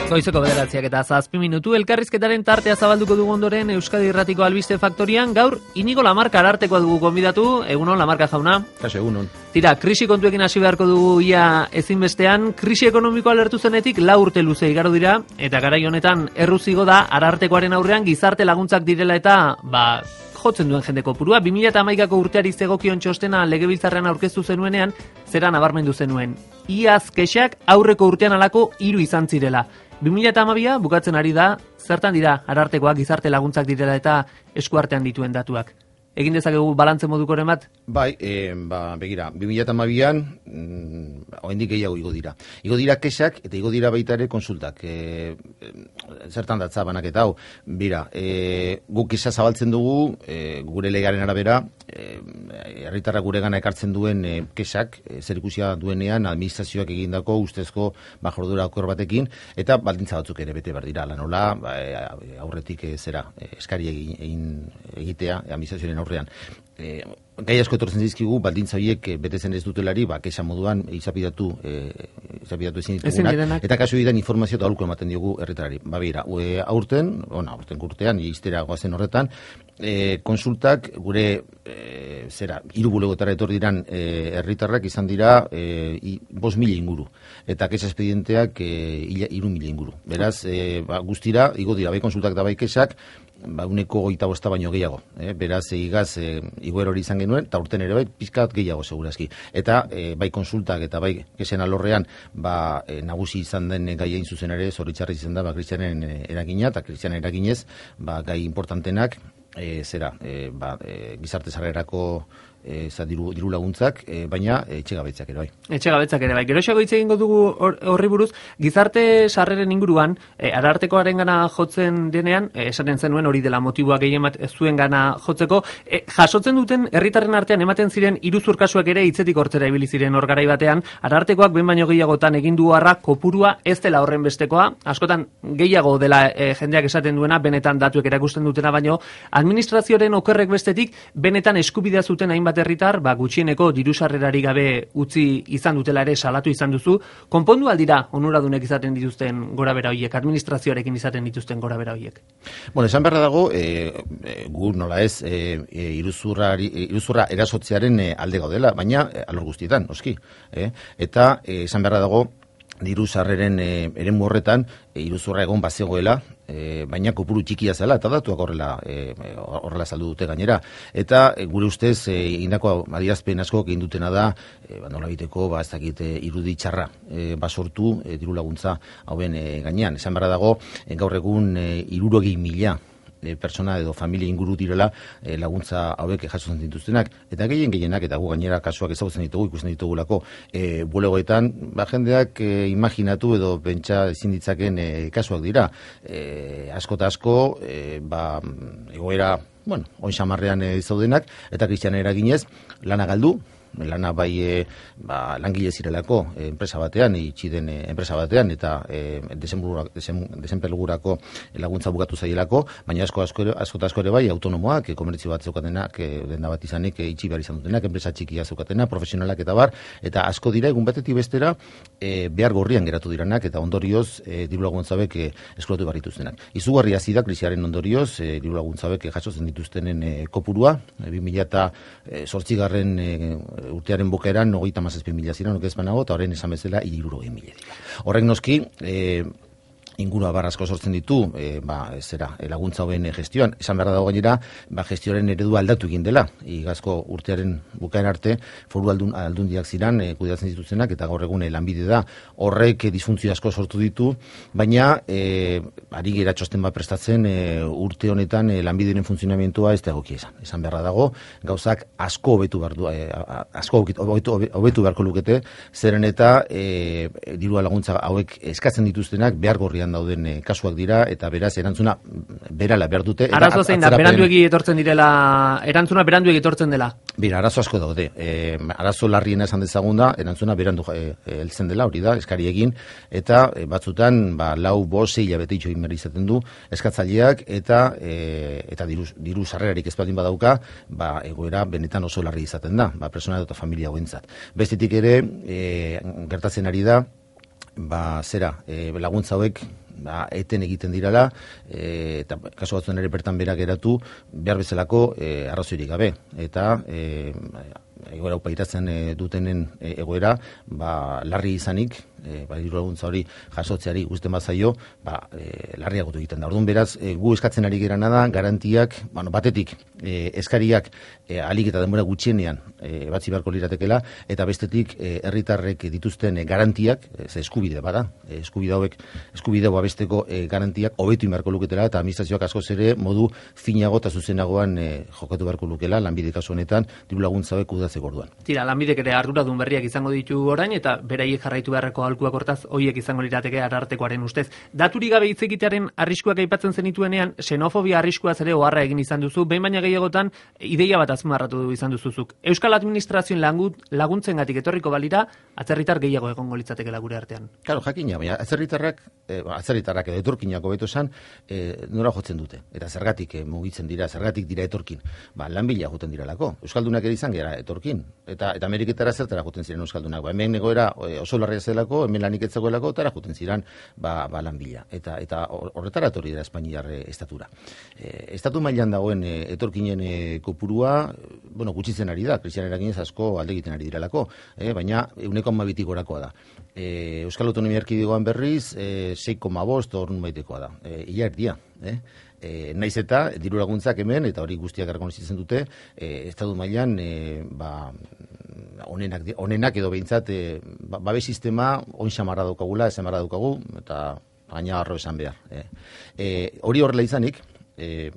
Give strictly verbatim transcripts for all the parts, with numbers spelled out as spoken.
Goizeko bederatziak eta zazpi minutu elkarrizketaren tartea zabalduko dugu ondoren Euskadi Irratiko Albiste Faktorian. Gaur Inigo Lamarca arartekoa dugu gonbidatu. Egunon, Lamarca jauna. Kaso, egunon. Tira, krisi kontuekin hasi beharko dugu ia ezinbestean. Krisi ekonomikoa alertu zenetik lau urte luze igaro dira, eta garai honetan erruzigo da arartekoaren aurrean gizarte laguntzak direla eta ba jotzen duen jende kopurua. bi mila hamaikako urteari zegokion txostena legebiltzarrean aurkeztu zenuenean, zera nabarmendu zenuen. Iaz kexak aurreko urtean alako hiru izan zirela. bi mila hamabia bukatzen ari da, zertan dira arartekoak gizarte laguntzak direla eta eskuartean dituen datuak. Egin dezakegu balantze modukoren bat? Bai, e, ba, begira, bi mila hamabian mm, oraindik gehiago igo dira. Igo dira kexak eta igo dira baita ere konsultak. E, zertan datza banaketa hau? Bira, e, guk kexa zabaltzen dugu, e, gure legaren arabera, herritarrak e, gure gana ekartzen duen e, kexak, e, zer ikusia duenean administrazioak egindako ustezko bajordura okor batekin, eta baldintza batzuk ere bete behar dira. Lanola, ba, e, aurretik e, zera, e, eskari egin, egin egitea, e, administrazioaren aurrean. E, gai asko etortzen dizkigu, baldintza horiek betetzen ez dutelari, ba, kexa moduan izapidatu, e, izapidatu ezin ditugunak, eta kasu egiten informazio eta aholku ematen diogu herritarrari. Ba, bera, e, aurten, ona, aurten urtean, iztera goazen horretan, e, konsultak gure, e, zera, hiru bulegotara etor diran e, herritarrak izan dira e, bost mila inguru, eta kexa espedienteak e, hiru mila inguru. Beraz, e, ba, guztira, igo dira, bai konsultak da bai kexak, ba, uneko goita bosta baino gehiago. Eh? Beraz, igaz, e, igoer hori izan genuen, eta urten ere bai, pizkat gehiago segurazki. Eta e, bai konsultak eta bai kesen alorrean, ba, e, nagusi izan den gai egin zuzen ere, zoritzarri izan da, ba, Kristianen eragina, eta Kristianen eraginez, ba, gai importantenak, e, zera, e, ba, e, gizarte sarrerako E, za diru, diru laguntzak, e, baina etxegabetzak ere bai. Etxegabetzak ere bai. Geroxago hitz egingo dugu horri buruz, gizarte sarreren inguruan, e, arartekoaren gana jotzen denean, e, esaten zenuen hori dela motiboa gehien bat zuen gana jotzeko, e, jasotzen duten herritarren artean ematen ziren iruzur kasuak ere hitzetik hortzera ibili ziren hor garai batean, arartekoak behin baino gehiagotan egin du harra kopurua ez dela horren bestekoa, askotan gehiago dela e, jendeak esaten duena, benetan datuek erakusten dutena, baino administrazioaren okerrek bestetik benetan eskubidea zuten hainbat herritar, ba, gutxieneko dirusarrerari gabe utzi izan dutela ere salatu izan duzu. Konpondu aldira onuradunek izaten dituzten gorabera horiek, administrazioarekin izaten dituzten gorabera horiek? Bueno, esan beharra dago, e, e, gur nola ez, e, e, iruzurra, iruzurra erasotzearen e, alde gaudela, baina e, alor guztietan, oski. E? Eta e, esan beharra dago, diru sarreren e, eremu horretan e, iruzurra egon bazegoela, e, baina kopuru txikia zela eta datuak horrela e, horrela saldu dute gainera. Eta e, gure ustez e, indako adierazpen asko egin dutena da, e, ba, nola biteko, ba, ez dakit e, irudi txarra e, basortu e, diru laguntza hauen e, gainean. Esan beharra dago, e, gaur egun e, hirurogei mila E, persona edo familia inguru direla e, laguntza hauek jasotzen dituztenak, eta gehien gehienak, eta gu gainera kasuak ezagutzen ditugu, ikusten ditugulako e, bulegoetan, ba, jendeak e, imaginatu edo pentsa ezin ditzaken e, kasuak dira. E, asko eta asko, e, ba, egoera, bueno, oin xamarrean e, zaudenak, eta Kristianen eraginez, lana galdu, lana bai e, ba, langile zirelako e, enpresa batean, itxi den e, enpresa batean, eta e, desenplegurako laguntza bukatu zaielako, baina asko asko ere, asko asko ere bai autonomoak, e, komertzio bat zeukatenak, e, denda bat izanik e, itxi behar izan dutenak, enpresa txikia zeukatena, profesionalak eta bar, eta asko dira egun batetik bestera e, behar gorrian geratu diranak, eta ondorioz e, diru laguntzabek e, eskuratu behar dituztenak. Izugarri hasi da krisiaren ondorioz, e, diru laguntzabek e, jasotzen dituztenen e, kopurua, e, bi mila zortzigarren e, urtearen bukaeran hogeita hamazazpi mila ziren, ez banago, eta horren esan bezala hirurogei mila dira. Horrek noski, e, ingurua barrazko sortzen ditu, e, ba, zera, laguntza hoben gestioan. Esan behar dago gainera, ba, gestioaren eredua aldatu egin dela. Igazko urtearen bukaen arte, foru aldun, aldundiak ziran, e, kudeatzen dituztenak, eta gaur egun lanbide da. Horrek e, disfuntzio asko sortu ditu, baina e, ari gera txosten bat prestatzen e, urte honetan e, lanbideren funtzionamentua ez da egokia esan. Esan beharra dago, gauzak asko hobetu behar du, e, asko hobetu, hobetu beharko lukete, zeren eta e, dirua laguntza hauek eskatzen dituztenak behar gorrian dauden e, kasuak dira, eta beraz erantzuna berala behar dute. Arazo zein da, beranduegi etortzen direla, erantzuna beranduegi etortzen dela? Bira, arazo asko daude. E, arazo larriena esan dezagun da, erantzuna berandu e, heltzen dela, hori da, eskari egin, eta e, batzutan, ba, lau, bost, sei hilabete itxo egin behar izaten du, eskatzaileak, eta e, eta diru, diru sarrerarik ez baldin badauka, ba, egoera benetan oso larri izaten da, ba, persona eta familia hauentzat. Bestetik ere, e, gertatzen ari da, ba, zera, e, laguntza hauek ba, eten egiten dirala, e, eta kasu batzuen ere bertan berak geratu, behar bezalako e, arrazoirik gabe. Eta e, egoera upairatzen e, dutenen e, egoera, ba, larri izanik, e, ba, diru laguntza hori jasotzeari uzten bazaio, ba, e, larriagotu egiten da. Orduan beraz, e, gu eskatzen ari gerana da, garantiak, bueno, batetik, e, eskariak e, alik eta denbora gutxienean e, batzi beharko liratekela, eta bestetik, e, herritarrek dituzten e, garantiak, e, ze eskubide bada, e, eskubide hauek, eskubide babesteko e, garantiak hobetu beharko luketela, eta administrazioak askoz ere modu finago eta zuzenagoan e, jokatu beharko lukela, lanbide kasu honetan, diru laguntza hauek kudeatzeko orduan. Tira, lanbidek ere arduradun berriak izango ditu orain, eta beraiek jarraitu beharreko aholkuak hortaz hoiek izango lirateke arartekoaren ustez. Daturik gabe hitz egitearen arriskuak aipatzen zenituenean, xenofobia arriskuaz ere oharra egin izan duzu, behin baina gehiagotan ideia bat azpimarratu izan duzuzuk. Euskal Administrazioen laguntzengatik etorriko balira, atzerritar gehiago egongo litzatekeela gure artean. Claro, jakina, baina atzerritarrak, eh, atzerritarrak edo etorkinak hobeto esan, eh, nora jotzen dute. Eta zergatik eh, mugitzen dira, zergatik dira etorkin. Ba, lanbila joten diralako. Euskaldunak ere izan gara etorkin. Eta eta Ameriketara zertara joten ziren euskaldunak. Ba, hemen egoera oso larria zelako, hemen lanik ez zegoelako, tara joten ziren ba, ba lanbila. Eta eta horretara etorri dira Espainiar estatura. E, estatu mailan dagoen e, etorkinen e, kopurua, bueno, gutxitzen ari da, krisian eraginez asko alde egiten ari direlako, e, baina ehuneko hamabitik gorakoa da. E, Euskal Autonomia Erkidegoan berriz, e, sei koma bost ordu baitekoa da. E, ia erdia, eh? E, naiz eta diru laguntzak hemen, eta hori guztiak errekonozitzen dute, e, estatu mailan e, ba, onenak, onenak edo behintzat e, ba, babes sistema on xamarra daukagula, esamarra daukagu, eta gaina arro esan behar. E, e, hori horrela izanik, e,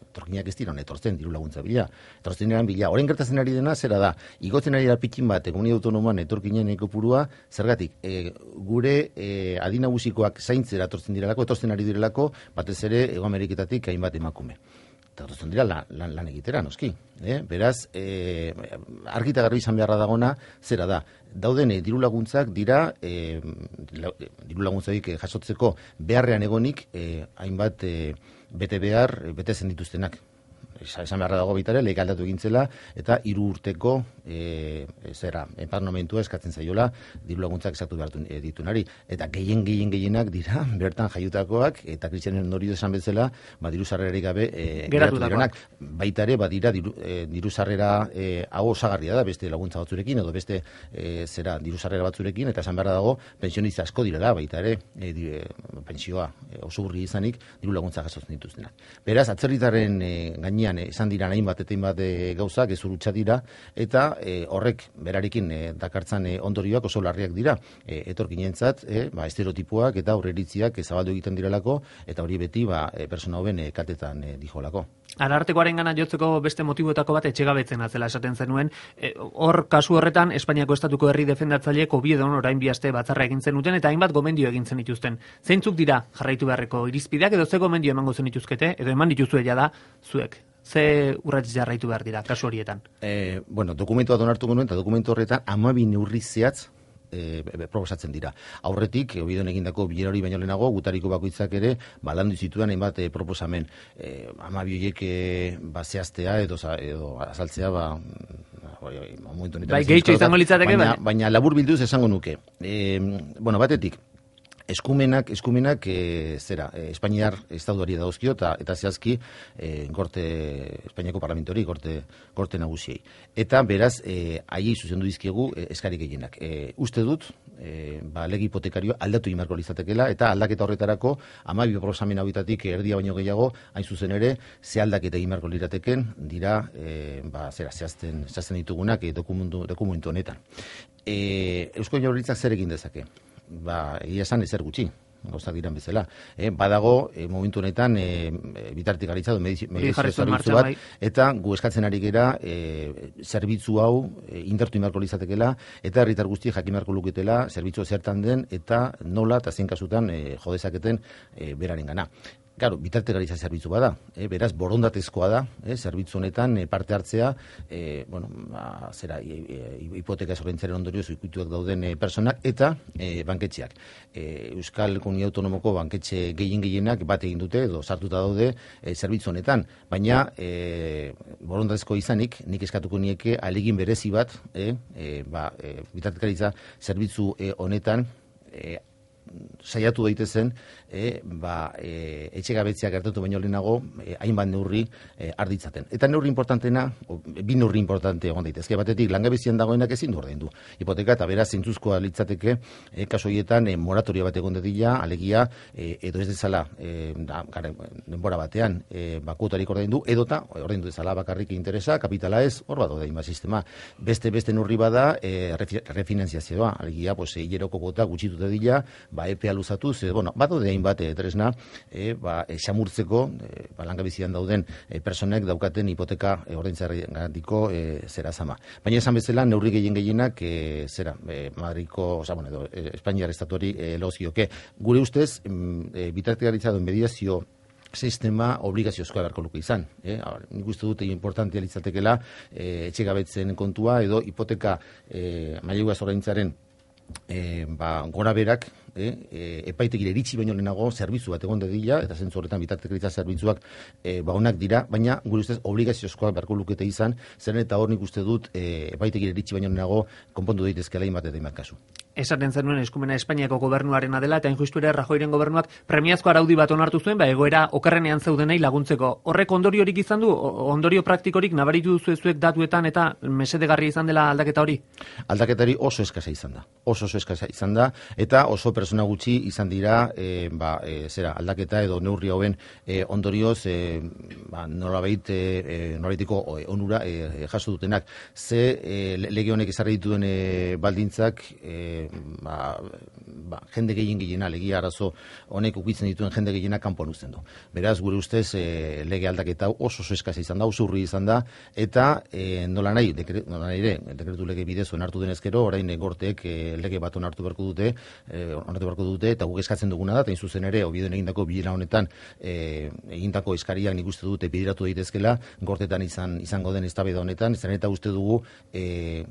etorkinak ez dira etortzen diru laguntza bila, etortzen eran bila. Horren gertatzen ari dena, zera da, igotzen ari da pikin bat, komunitatea autonomoan etorkinen kopurua, zergatik, e, gure e, adinagusikoak zaintzera etortzen direlako, etortzen ari direlako, batez ere, Hego Ameriketatik hainbat emakume. Eta etortzen dira lan, lan, lan egitera, noski. Eh? Beraz, e, argita garbi izan beharra dagona, zera da, dauden e, diru laguntzak dira, e, la, diru laguntzaik e, jasotzeko beharrean egonik, e, hainbat e, bete behar, bete zen dituztenak. Esan beharra dago bitare, lehik aldatu egintzela, eta hiru urteko e, zera, enparnomentua eskatzen zaiola diru laguntzak esatu behar ditunari. Eta gehien gehien gehienak dira, bertan jaiutakoak, eta kristianen ondorio esan bezala, ba, diru sarrerarik gabe e, geratu direnak. Baita ere, badira diru, e, diru sarrera e, hau osagarria da, beste laguntza batzurekin, edo beste e, zera diru sarrera batzurekin, eta esan beharra dago, pensionista asko direla, baita ere, e, di, e, pensioa e, oso burri izanik, diru laguntza jasotzen dituztenak. Beraz, atzerritarren e, gainean esan dira hainbat eta hainbat e, gauzak gezurutza dira, eta e, horrek berarekin e, dakartzan e, ondorioak oso larriak dira e, etorkinentzat, e, ba, estereotipoak eta aurreritziak e, zabaldu egiten direlako, eta hori beti ba, e, persona hoben e, kaltetan e, dijolako. Arartekoaren gana jotzeko beste motiboetako bat etxegabetzen atzela esaten zenuen. E, hor kasu horretan Espainiako estatuko herri defendatzaileek Oviedon orain bi aste batzarra egin zenuten eta hainbat gomendio egin zenituzten. Zeintzuk dira jarraitu beharreko irizpideak edo ze gomendio emango zenituzkete edo eman dituzue jada zuek? Ze urrats jarraitu behar dira kasu horietan? E, bueno, dokumentu bat onartu genuen eta dokumentu horretan hamabi neurri zehatz E, proposatzen dira. Aurretik, Oviedon egindako bilera hori baino lehenago, gutariko bakoitzak ere, balandu zituen hainbat e, proposamen. E, hamabi horiek e, ba, zehaztea edo, edo azaltzea, ba, momentu honetan. Bai, gehitxo izango litzateke, baina, baina labur bilduz esango nuke. E, bueno, batetik, eskumenak, eskumenak e, zera, e, Espainiar estatuari dauzkio eta eta zehazki e, gorte, Espainiako parlamentori, gorte, gorte nagusiei. Eta beraz, e, haiei zuzendu dizkiegu e, eskari gehienak. E, uste dut, e, ba, lege hipotekarioa aldatu imarko lizatekeela, eta aldaketa horretarako, hamabi proposamen hauetatik erdia baino gehiago, hain zuzen ere, ze aldaketa imarko lirateken, dira, e, ba, zera, zehazten, zehazten ditugunak e, dokumentu, dokumentu honetan. E, Eusko Jaurlaritzak zer egin dezake? Ba, egia esan ezer gutxi, gauzak diran bezala. Eh, badago, eh, momentu honetan, eh, bitartik garitzatu, medizio zerbitzu bat, eta gu eskatzen ari gera, eh, zerbitzu hau eh, indartu imarko lizatekela, eta herritar guzti jakimarko luketela, zerbitzu zertan den, eta nola, eta zein kasutan eh, jodezaketen eh, beraren gana. Claro, bitartekaritza zerbitzu bada, eh, beraz borondatezkoa da, eh, zerbitzu honetan eh, parte hartzea, eh, bueno, ba, zera, hipoteka zorrentzaren ondorioz ikuituak dauden eh, personak eta eh, banketxeak. Eh, Euskal Komunitate Autonomoko banketxe gehien gehienak bat egin dute edo sartuta daude eh, zerbitzu honetan, baina eh, borondatezko izanik, nik eskatuko nieke ahalegin berezi bat, eh, eh, ba, eh, bitartekaritza zerbitzu eh, honetan eh, saiatu daitezen e, ba, e, etxegabetzea gertatu baino lehenago e, hainbat neurri e, arditzaten. Eta neurri importantena, o, bi neurri importante egon daitezke, batetik langabezian dagoenak ezin du ordaindu hipoteka, eta beraz zentzuzkoa litzateke e, kasu horietan e, moratoria bat egon dadila, alegia e, edo ez dezala e, da, gare, denbora batean e, ba, kuotarik ordaindu, edota ordaindu dezala bakarrik interesa, kapitala ez, hor bat ordain ba sistema. Beste beste neurri bada e, refinanziazioa, alegia pues, e, hileroko kuota gutxitu dadila, ba, epea luzatuz, e, bueno, bat odein bat e, tresna, e, ba, e, xamurtzeko, e, ba, langabezian dauden e, personek daukaten hipoteka e, ordaintzeagatiko e, zera zama. Baina esan bezala, neurri gehien gehienak e, zera, e, Madriko, oza, bueno, edo, e, Espainiar estatuari e, lozioke. Gure ustez, e, bitartekaritza duen mediazio sistema obligaziozkoa beharko luke izan. Eh? Nik uste dute importantea litzatekela e, etxegabetzen kontua edo hipoteka e, mailegua ordaintzaren E, ba, gora berak e, e, epaitegire iritsi baino lehenago zerbitzu bat egon dadila, eta zentzu horretan bitartekaritza zerbitzuak e, ba, onak dira, baina gure ustez obligaziozkoak beharko lukete izan, zeren eta hor nik uste dut e, epaitegire iritsi baino lehenago konpondu daitezkeela inbat eta inbat kasu. Esaten zenuen eskumena Espainiako gobernuarena dela, eta injustu ere Rajoyren gobernuak premiazko araudi bat onartu zuen, ba, egoera okerrenean zeudenei laguntzeko. Horrek ondoriorik izan du, ondorio praktikorik nabaritu duzu ezuek datuetan eta mesedegarria izan dela aldaketa hori? Aldaketari oso eskasa izan da. Oso oso eskasa izan da, eta oso persona gutxi izan dira e, ba, e, zera, aldaketa edo neurri hauen e, ondorioz e, ba, nolabait e, nolabaiteko onura e, jaso dutenak. Ze e, lege honek ezarri dituen e, baldintzak e, ba, ba, jende gehien gehiena, legia arazo honek ukitzen dituen jende gehiena kanpoan uzten du. Beraz, gure ustez e, lege aldaketa oso oso eskasa izan da, oso urri izan da, eta e, nola nahi, dekre, nola nahi ere, dekretu lege bidez onartu denezkero, orain gorteek e, lege bat onartu beharko dute, e, onartu beharko dute, eta guk eskatzen duguna da, eta zuzen ere, Oviedon egindako bilera honetan, e, egindako eskariak nik uste dute bideratu daitezkela, gortetan izan izango den eztabaida honetan, zeren eta uste dugu e,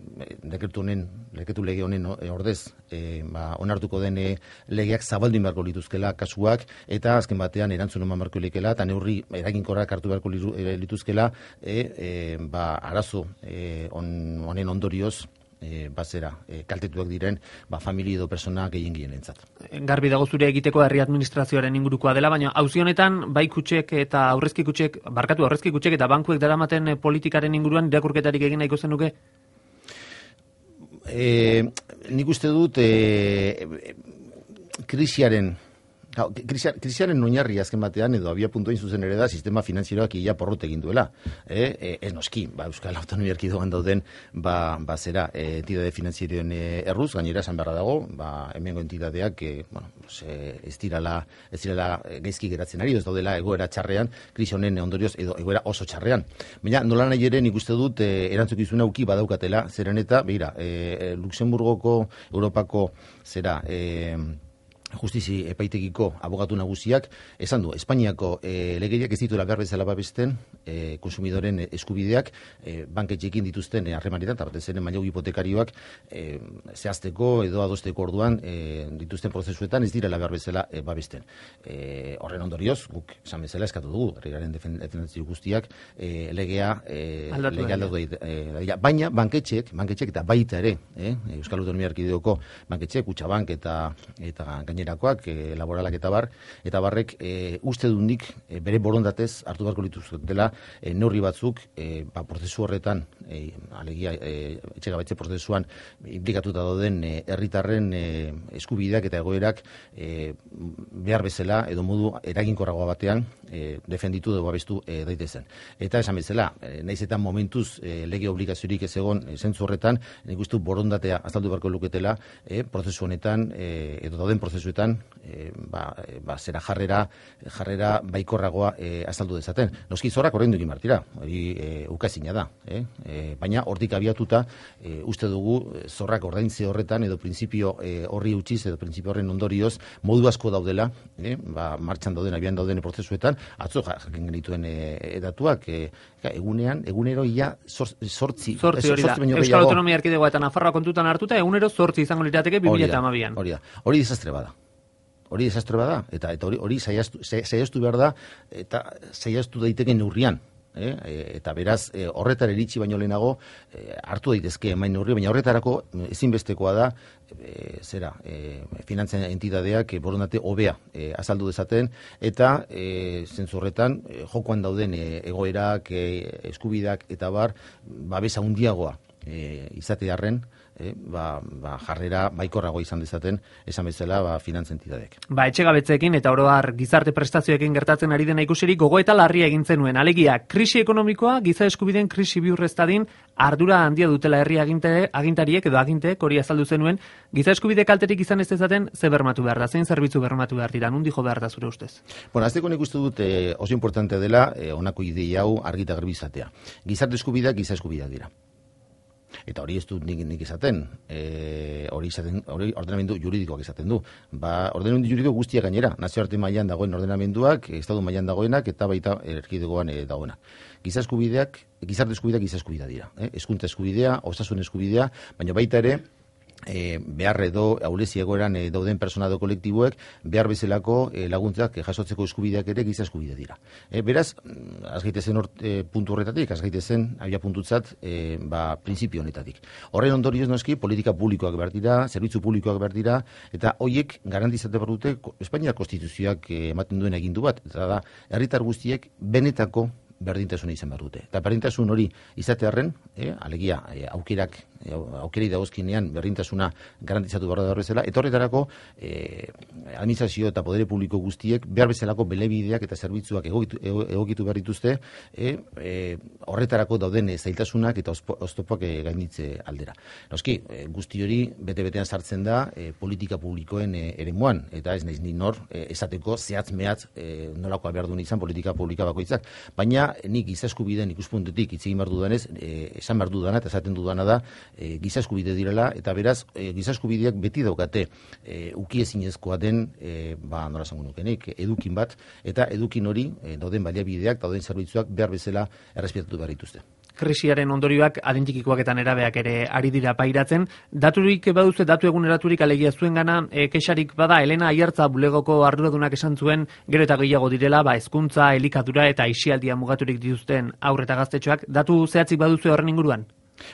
dekretu honen, dekretu lege honen ordez, e, ba, onartuko den e, legeak zabaldu beharko lituzkela kasuak, eta azken batean erantzun eman beharko likela, eta neurri eraginkorrak hartu beharko lituzkela, e, e, ba, arazo e, on, honen ondorioz, E, bazera, e, kaltetuak diren ba, familia edo persona gehien gehien entzat. Garbi dago zure egiteko herri administrazioaren ingurukoa dela, baina auzi honetan bai kutxek eta aurrezki kutxek, barkatu aurrezki kutxek eta bankuek daramaten politikaren inguruan irakurketarik egin nahiko zenuke? E, nik uste dut e, krisiaren krisiaren oinarri azken batean edo abia puntuain zuzen ere da sistema finantzieroak ia porrot egin duela. E, e, ez noski, ba, Euskal Autonomia Erkidegoan dauden ba, ba zera, e, entidade finantzierioen erruz, gainera esan beharra dago, ba, hemengo entidadeak e, bueno, e, ez dirala ez dirala gaizki geratzen ari, ez daudela egoera txarrean, krisi honen ondorioz edo egoera oso txarrean. Baina nola nahi ere nik uste dut e, erantzukizuna uki badaukatela, zeren eta, begira, e, Luxemburgoko, Europako zera, e, justizi epaitegiko abogatu nagusiak esan du, Espainiako e, legediak ez dituela behar bezala babesten e, konsumidoren eskubideak e, banketxekin dituzten harremanetan, eta batez ere mailegu hipotekarioak e, zehazteko edo adosteko orduan e, dituzten prozesuetan ez direla behar bezala e, babesten. E, horren ondorioz, guk esan bezala eskatu dugu, herriaren defendatzio guztiak e, legea e, aldatu legea aldatu e, baina banketxek, banketxek eta baita ere, eh, Euskal Autonomia Erkidegoko banketxek, Kutxabank eta eta gainerakoak, e, laboralak eta bar, eta barrek e, uste dundik e, bere borondatez hartu beharko lituzketela e, neurri batzuk e, ba, prozesu horretan, e, alegia e, etxegabetze prozesuan implikatuta dauden herritarren e, eskubideak eta egoerak e, behar bezala edo modu eraginkorragoa batean e, defenditu dugu abestu e, daitezen. Eta esan bezala, e, naiz eta momentuz e, lege obligaziorik ez egon e, zentzu horretan, nik uste borondatea azaldu beharko luketela e, prozesu honetan e, edo dauden prozesuetan e, ba, e, ba, zera jarrera jarrera baikorragoa e, azaldu dezaten. Noski zorrak horrein dukin martira, hori e, ukazina da, eh? E, baina hortik abiatuta e, uste dugu zorrak ordaintze horretan edo printzipio e, horri utziz edo printzipio horren ondorioz modu asko daudela, eh? Ba, martxan dauden, abian dauden prozesuetan, atzo jakin genituen e, datuak, e, egunean, egunero ia sortzi, sortzi hori da, Euskal Autonomia Erkidegoa eta Nafarroa kontutan hartuta, egunero sortzi izango lirateke bi mila hamabian. Hori da, hori desastre bada. Hori desastre bada, eta eta hori hori saiastu saiastu behar da, eta saiastu daiteke neurrian. Eh? Eta beraz, e, horretara iritsi baino lehenago, e, hartu daitezke emain neurri, baina horretarako ezinbestekoa da, e, zera, e, finantzen entitateak e, borondate hobea e, azaldu dezaten, eta e, zentzu horretan, e, jokoan dauden e, egoerak, e, eskubidak eta bar, babesa handiagoa e, izatearren, E, ba, ba, jarrera baikorrago izan dezaten, esan bezala ba, finantza entitateek. Ba, etxegabetzeekin eta oro har gizarte prestazioekin gertatzen ari dena ikusirik gogo eta larria egin zenuen. Alegia, krisi ekonomikoa, giza eskubideen krisi bihurreztadin, ardura handia dutela herri aginte, agintariek edo aginteek hori azaldu zenuen, giza eskubide kalterik izan ez dezaten, ze bermatu behar da, zein zerbitzu bermatu behar dira, nundi jo behar da zure ustez? Bueno, azteko nik uste dut eh, oso importante dela eh, honako ideia hau argita garbi izatea. Gizarte eskubideak giza eskubideak dira. Eta hori ez dut nik, nik izaten, e, hori izaten, hori ordenamendu juridikoak izaten du. Ba, ordenamendu juridiko guztiak gainera, nazioarte mailan dagoen ordenamenduak, estatu mailan dagoenak eta baita erkidegoan e, dagoenak. Giza eskubideak, gizarte eskubideak giza eskubidea dira. Eh? Hezkuntza eskubidea, osasun eskubidea, baina baita ere, E, behar edo ahulezi egoeran e, dauden persona edo kolektiboek behar bezalako e, laguntzak e, jasotzeko eskubideak ere giza eskubidea dira. E, beraz, azgaitezen e, puntu horretatik, azgaitezen abia puntutzat e, ba, printzipio honetatik. Horren ondorioz noski, politika publikoak behar dira, zerbitzu publikoak behar dira, eta hoiek garantizate behar dute Espainiar konstituzioak e, ematen duen egindu bat, eta da, herritar guztiek benetako berdintasuna izan behar dute. Eta berdintasun hori izatearren, eh, alegia, eh, aukerak, eh, aukerei dagozkinean berdintasuna garantizatu behar da bezala, eta horretarako eh, administrazio eta podere publiko guztiek behar bezalako belebideak eta zerbitzuak egokitu, egokitu behar dituzte, eh, eh, horretarako dauden eh, zailtasunak eta oztopoak eh, gainitze aldera. Noski, eh, guzti hori bete-betean sartzen da eh, politika publikoen eh, eremuan, eta ez naiz ni nor eh, esateko zehatz mehatz eh, nolakoa behar duen izan politika publika bakoitzak, baina nik giza eskubideen ikuspuntutik hitz egin behar dudanez, e, esan behar dudana eta esaten dudana da e, giza eskubide direla, eta beraz e, giza eskubideak beti daukate e, ukiezinezkoa den e, ba, nola esango nukenik, edukin bat, eta edukin hori e, dauden baliabideak, dauden zerbitzuak behar bezala errespetatu behar dituzte. Krisiaren ondorioak adintikikoak eta nerabeak ere ari dira pairatzen. Daturik baduze, datu eguneraturik alegia zuen gana, e, kexarik bada, Elena Aiartza bulegoko arduradunak esan zuen, gero eta gehiago direla, ba, hezkuntza, elikadura eta aisialdia mugaturik dituzten aurre eta gaztetxoak. Datu zehatzik baduze horren inguruan?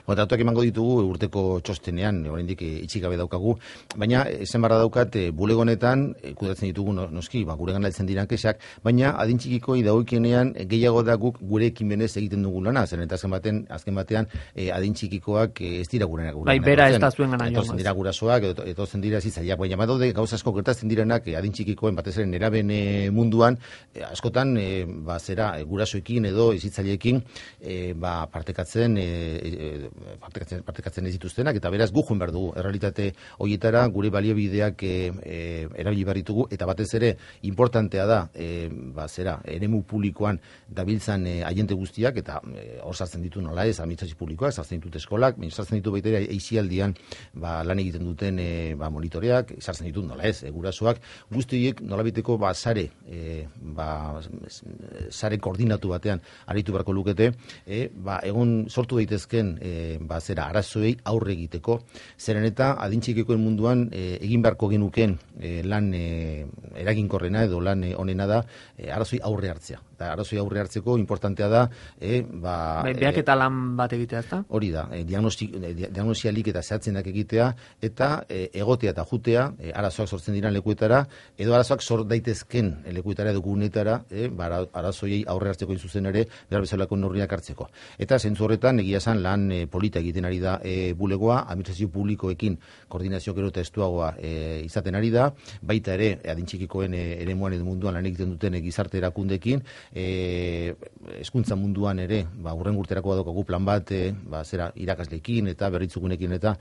Ba, datuak emango ditugu urteko txostenean, oraindik itxik gabe daukagu, baina esan barra daukat e, bulego honetan e, kudatzen ditugu noski, ba, gure gana heltzen diran kexak, baina adintxikikoi dagokienean e, gehiago da guk gure ekimenez egiten dugu lana, zen eta azken batean, azken batean e, adintxikikoak e, ez dira gure gana. Bai, bera ez da zuen gana. Etozen dira gurasoak, etozen dira zitzaileak, baina badaude gauza asko gertatzen direnak e, adintxikikoen batez ere neraben e, munduan, e, askotan e, ba, zera e, gurasoekin edo zitzaileekin e, ba, partekatzen e, e, Partekatzen, partekatzen ez dituztenak, eta beraz gu joan behar dugu errealitate horietara gure baliabideak e, e, erabili behar ditugu, eta batez ere importantea da e, ba, zera, eremu publikoan dabiltzan e, agente guztiak, eta e, hor sartzen ditu nola ez, administrazio publikoak, sartzen ditut eskolak, sartzen ditu baita ere eizialdian ba, lan egiten duten e, ba, monitoreak, sartzen ditut nola ez, e, gurasoak, guztiek nolabiteko ba, sare, e, ba, sare koordinatu batean aritu beharko lukete, e, ba, egon sortu daitezken E, ba, zera, arazoei aurre egiteko, zeren eta adintxikikoen munduan e, egin beharko genuken e, lan e, eraginkorrena edo lan e, onena da e, arazoi aurre hartzea. Eta arazoi aurre hartzeko importantea da e, ba, Bai, beak eta lan bat egitea, ezta? Hori da, e, diagnosialik eta zehatzenak egitea, eta e, egotea eta jutea e, arazoak sortzen diran lekuetara, edo arazoak sort daitezken lekuetara edo gunetara, e, ba, arazoiei aurre hartzeko inzuzen ere, behar bezalako neurriak hartzeko. Eta zentzu horretan, egia esan lan e, polita egiten ari da e, bulegoa, administrazio publikoekin koordinazio gero eta estuagoa e, izaten ari da, baita ere adintxikikoen e, eremuan edo munduan lan egiten duten e, gizarte erakundekin, e, eskuntza munduan ere, ba, urren urterako badokagu plan bat, e, ba, zera, irakasleekin eta berritzugunekin eta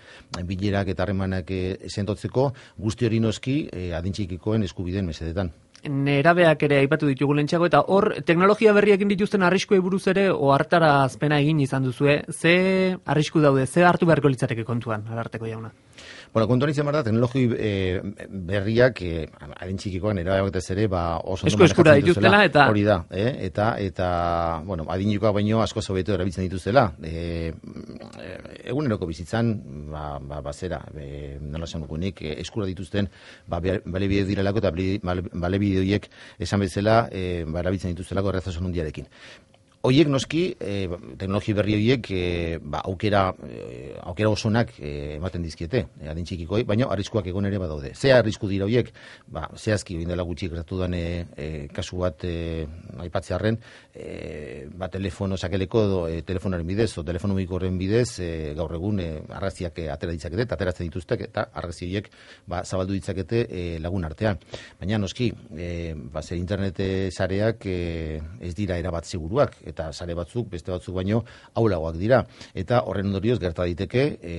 bilerak eta harremanak e, sentotzeko, guzti hori noski e, adintxikikoen eskubideen mesedetan. Nerabeak ere aipatu ditugu lentsago, eta hor teknologia berriekin dituzten arriskuei buruz ere ohartara azpena egin izan duzue, ze arrisku daude, ze hartu beharko litzateke kontuan, Ararteko jauna? Bueno, kontuan izan behar da, teknologi e, berriak, e, adintxikikoan erabeak ez ere, ba, oso Esko eskura dituztela, eta... Hori da, eh? eta, eta, bueno, adintxikoak baino asko zobeto erabiltzen dituztela. E, eguneroko bizitzan, ba, ba, ba zera, e, nola esan dugunik, e, eskura dituzten, ba, bale bide direlako, eta bale bide horiek esan bezala, e, ba, erabiltzen dituztelako errezasun hundiarekin. Hoiek noski, e, teknologi berri horiek e, ba, aukera, e, aukera osonak e, ematen dizkiete, e, adin txikikoi, baina arriskuak egon ere badaude. Ze arrisku dira horiek, ba, zehazki, indela gutxi gertatu den e, e, kasu bat e, aipatzearren, e, ba, telefono sakeleko, edo, e, telefonaren bidez, o telefono mugikoren bidez, e, gaur egun e, arraziak e, atera ditzakete, eta ateratzen dituztek, eta arrazi horiek ba, zabaldu ditzakete e, lagun artean. Baina noski, e, ba, zer internet sareak e, ez dira erabat seguruak, eta sare batzuk, beste batzuk baino, aulagoak dira. Eta horren ondorioz gerta daiteke, e,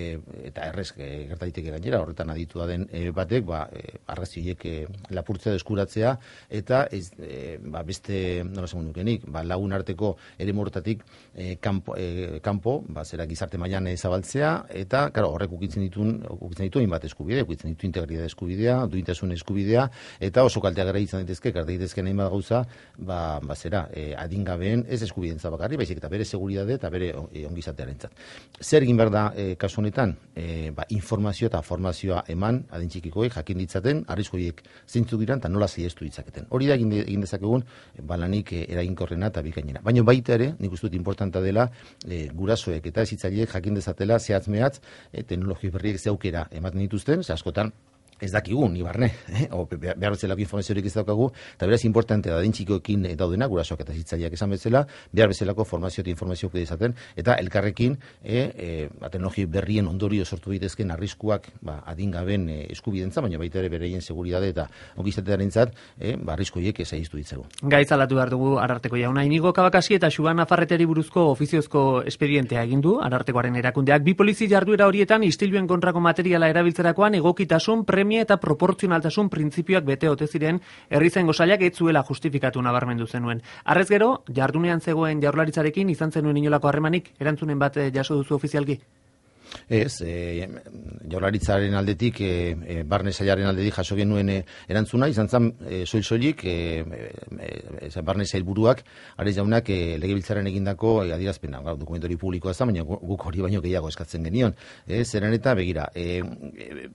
eta errez e, gerta daiteke gainera, horretan aditua den e, batek, ba, e, arrazioiek e, lapurtzea deskuratzea, eta ez, e, ba, beste, nola esan nukenik, ba, lagun arteko ere mortatik e, kanpo, e, kanpo, ba, zera gizarte mailan e, zabaltzea, eta, karo, horrek ukitzen dituen, ukitzen dituen bat eskubidea, ukitzen ditu integridade eskubidea, duintasun eskubidea, eta oso kalteak gara izan daitezke, gerta daitezke nahi bat gauza, ba, ba, zera, e, adingabeen ez eskubidea bakarri, baizik eta bere seguridade eta bere ongizatearentzat. Zer egin behar da e, kasu honetan? E, ba, informazio eta formazioa eman adin txikikoek jakin ditzaten, arrizkoiek zeintzuk diran eta nola ziestu ditzaketen. Hori da egin, de, egin dezakegun balanik e, eraginkorrena eta bikainera. Baina baita ere, nik uste dut importanta dela e, gurasoek eta ezitzaileek jakin dezatela zehatz mehatz e, teknologi berriek ze aukera ematen dituzten, ze askotan ez dakigu, ni barne, eh? o behar bezalako informaziorik ez daukagu, eta beraz importante da dintxikoekin daudena, gurasoak eta zitzaileak esan bezala, behar bezalako formazio eta informazio izaten, eta elkarrekin e, e, teknologi berrien ondorio sortu bitezken arriskuak ba, adingaben e, eskubidentza, baina baita ere bereien seguridade eta ongizatearentzat e, ba, arriskuiek ezagiztu ditzagu. Gaitz alatu behar dugu Ararteko jauna. Inigo Kabakasi eta Xuban Nafarreteri buruzko ofiziozko espedientea egin du Arartekoaren erakundeak. Bi polizi jarduera horietan istiluen kontrako materiala erabiltzerakoan egokitasun, premia eta proportzionaltasun printzipioak bete ote ziren herrizaingo sailak ez zuela justifikatu nabarmendu zenuen. Harrez gero, jardunean zegoen Jaurlaritzarekin izan zenuen inolako harremanik, erantzunen bat jaso duzu ofizialki? Ez, e, Jaurlaritzaren aldetik, e, e, barne sailaren aldetik jaso genuen e, erantzuna, izan zen e, soil-soilik, e, e, e, barne sailburuak, Ares jaunak e, legebiltzaren egindako e, adierazpena, dokumentori publikoa zen, baina guk hori baino gehiago eskatzen genion. E, zeren eta, begira, e, e,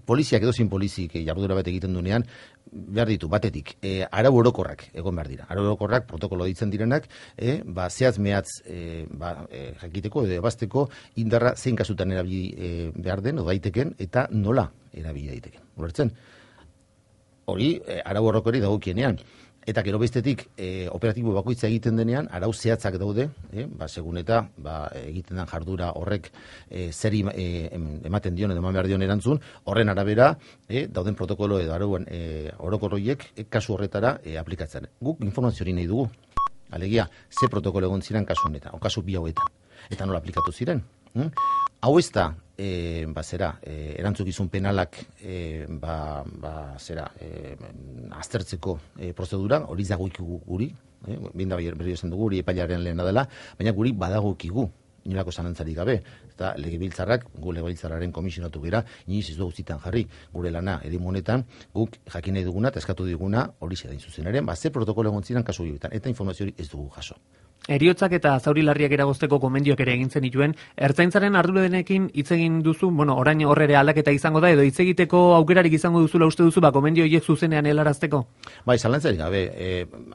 poliziak edo zin polizik e, jardura bat egiten duenean, behar ditu, batetik, e, arau orokorrak egon behar dira. Arau orokorrak, protokolo ditzen direnak, e, ba, zehaz mehatz e, ba, e, jakiteko edo ebazteko indarra zein kasutan erabili e, behar den, o daiteken, eta nola erabili daiteken. Ulertzen? Hori, e, arau orokorri dagokienean. Eta gero bestetik, e, operatibo bakoitza egiten denean, arau zehatzak daude, e, ba, segun eta ba, egiten den jardura horrek e, zeri e, ematen dion edo eman behar dion erantzun, horren arabera e, dauden protokolo edo arauan e, orokorroiek e, kasu horretara e, aplikatzen. Guk informazio hori nahi dugu. Alegia, ze protokolo egon ziren kasu honetan, o kasu bi hauetan. Eta nola aplikatu ziren. Hmm? Hau ez da, e, ba, zera, e, erantzukizun penalak e, ba, ba, zera, e, aztertzeko e, prozedura, hori dagoikigu guri, e, binda berri esan dugu, hori epailaren lehena dela, baina guri badagokigu, inolako zalantzarik gabe, eta legebiltzarrak, gu legebiltzarraren komisionatu gira, iniz ez dugu zitan jarri, gure lana erimu honetan, guk jakin nahi duguna, eta eskatu diguna, hori zedain zuzenaren, ba, ze protokolo egon ziren kasu horietan, eta informazio hori ez dugu jaso. Heriotzak eta zauri larriak eragozteko gomendioak ere egin zenituen, ertzaintzaren arduradenekin hitz egin duzu, bueno, orain hor ere aldaketa izango da, edo hitz egiteko aukerarik izango duzula uste duzu, ba, gomendio horiek zuzenean helarazteko? Bai, zalantzarik gabe, e,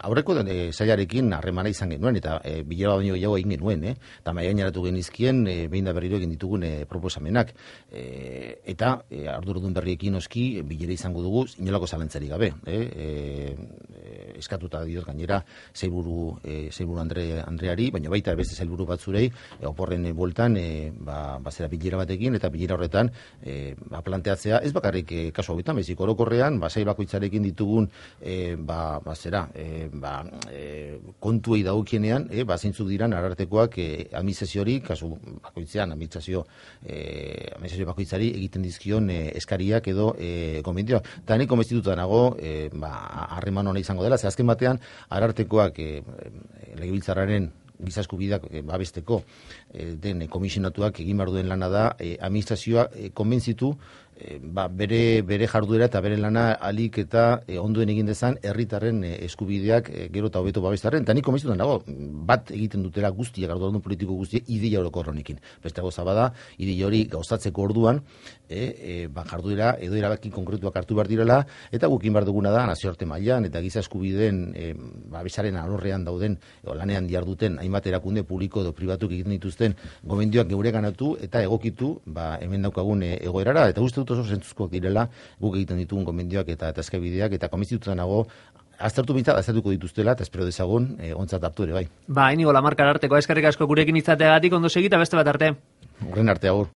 aurreko den e, sailarekin harremana izan genuen, eta e, bilera baino gehiago egin genuen, eh? Eta maia gaineratu genizkien, e, behin da berriro egin ditugun e, proposamenak, e, eta e, arduradun berriekin oski, bilera izango dugu, inolako zalantzarik gabe, eh? E, eskatuta diot gainera, zeiburu, e, zeiburu Andre Andreari, baina baita beste sailburu batzurei e, oporren e, bueltan e, ba, bazera bilera batekin eta bilera horretan e, ba, planteatzea ez bakarrik e, kasu hauetan, bezik orokorrean ba, sail bakoitzarekin ditugun e, ba, bazera e, ba, e, kontuei dagokienean e, ba, zeintzuk diran Arartekoak e, administrazio hori, kasu bakoitzean administrazio, e, administrazio bakoitzari egiten dizkion e, eskariak edo e, konbentioa. Eta nik konbentzituta nago e, ba, harreman hona izango dela, ze azken batean Arartekoak e, legebiltzarraren giza eskubideak e, babesteko e, den e, komisionatuak egin behar duen lana da e, administrazioa e, konbentzitu ba, bere, bere jarduera eta bere lana alik eta e, onduen egin dezan herritarren e, eskubideak e, gero eta hobeto babestaren. Eta nik komistutan dago, bat egiten dutela guztiak, arduradun politiko guztiak, ideia orokor honekin. Beste gauza bada, ideia hori gauzatzeko orduan, e, e, ba, jarduera edo erabaki konkretuak hartu behar direla, eta gukin behar duguna da, nazioarte mailan eta giza eskubideen e, ba, besaren alorrean dauden, o, lanean diharduten, hainbat erakunde publiko edo pribatuk egiten dituzten gomendioak geure ganatu eta egokitu, ba, hemen daukagun e, egoerara, eta uste dut oso zentzuzkoak direla guk egiten ditugun gomendioak eta eta eskabideak, eta komisitutan nago aztertu bintzat, aztertuko dituztela, eta espero dezagun e, ontzat hartu ere bai. Ba, Inigo Lamarkar arteko eskerrik asko gurekin izateagatik, ondo segita beste bat arte. Horren arte agur.